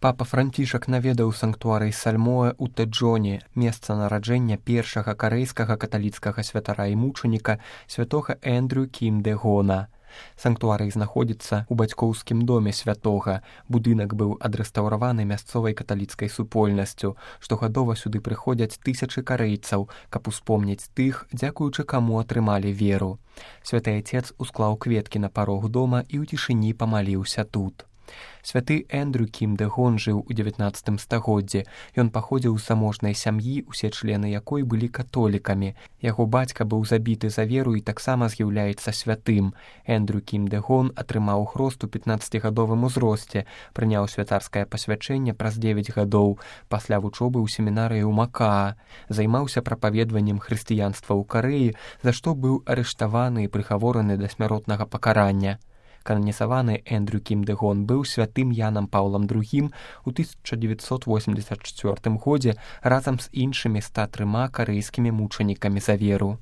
Папа Францішак наведаў санктуарый Сальмоэ ў Тэджоне, месца нараджэння першага карэйскага каталіцкага святара і мучаніка святога Эндрю Кім Дэ Гона. Санктуарый знаходзіцца ў бацькоўскім доме святога. Будынак быў адрэстаўраваны мясцовай каталіцкай супольнасцю. Штогадова сюды прыходзяць тысячы карэйцаў, каб успомніць тых, дзякуючы каму атрымалі веру. Святы Ацец усклаў кветкі на парог дома і ў цішыні памаліўся тут. Святы Эндрю Кім Дэ Гон жыў у 19 стагоддзі. Ён паходзіў з заможнай сям'і, усе члены якой былі католікамі. Яго бацька быў забіты за веру і таксама з'яўляецца святым. Эндрю Кім Дэ Гон атрымаў хрост у 15-гадовым узросце, прыняў святарскае пасвячэнне праз 9 гадоў, пасля вучобы ў семінарыі ў Макаа. Займаўся прапаведваннем хрысціянства ў Карэі, за што быў арыштаваны і прыгавораны да смяротнага пакарання. Кананізаваны Эндрю Кім Дэ Гон быў святым Янам Паўлам II у 1984 годзе разам з іншымі 103 карэйскімі мучанікамі за веру.